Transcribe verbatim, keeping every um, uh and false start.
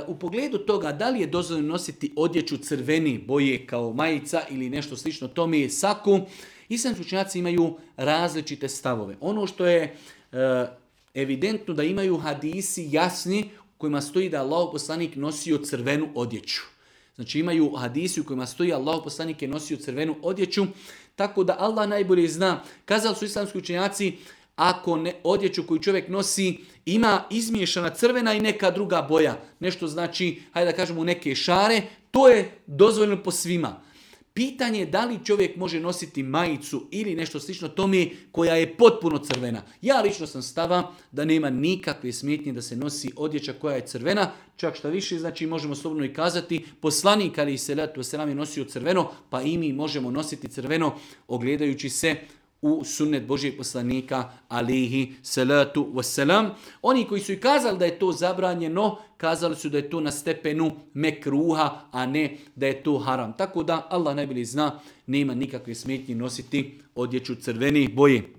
U pogledu toga da li je dozvoljeno nositi odjeću crveni boje kao majica ili nešto slično tome je saku, islamski učenjaci imaju različite stavove. Ono što je evidentno da imaju hadisi jasni u kojima stoji da Allahov poslanik nosio crvenu odjeću. Znači imaju hadisi u kojima stoji Allahov poslanik je nosio crvenu odjeću, tako da Allah najbolje zna. Kazali su islamski učenjaci, ako ne, odjeću koju čovjek nosi ima izmiješana crvena i neka druga boja, nešto znači, hajde da kažemo neke šare, to je dozvoljeno po svima. Pitanje je da li čovjek može nositi majicu ili nešto slično tome koja je potpuno crvena. Ja lično sam stava da nema nikakve smetnje da se nosi odjeća koja je crvena, čak šta više, znači možemo slobodno i kazati, poslanik alejhi selatu vesselam je nosio crveno, pa i mi možemo nositi crveno ogledajući se u sunnet Božijeg poslanika alejhi salatu vesselam. Oni koji su i kazali da je to zabranjeno, kazali su da je to na stepenu mekruha, a ne da je to haram. Tako da Allah najbolje zna, nema nikakve smetnje nositi odjeću crvene boje.